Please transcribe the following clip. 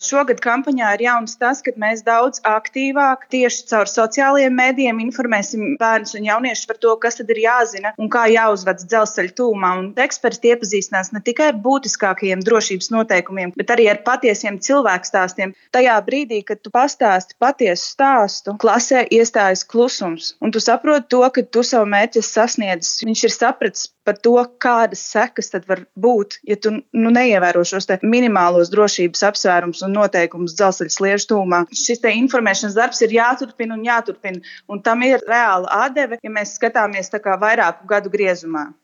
šogad kampaņā ir jauns tas, ka mēs daudz aktīvāk tieši caur sociālajiem mēdījiem informēsim bērnus un jauniešus par to, kas tad ir jāzina un kā jāuzvedas dzelzceļa tūmā. Un eksperti iepazīstinās ne tikai ar būtiskākajiem drošības noteikumiem, bet arī ar patiesiem cilvēkstāstiem. Tajā brīdī, kad tu pastāsti patiesu stāstu, klasē iestājas klusums. Un tu saproti to, ka tu savu mērķi sasniedzis. Viņš ir sapratis par to, kādas sekas tad var būt, ja tu neievēro šos minimālos drošības apsvērumus un noteikumus dzelzceļa sliežu tūmā. Šis informēšanas darbs ir jāturpina un jāturpina, un tam ir reāla atdeve, ja mēs skatāmies tā kā vairāku gadu griezumā.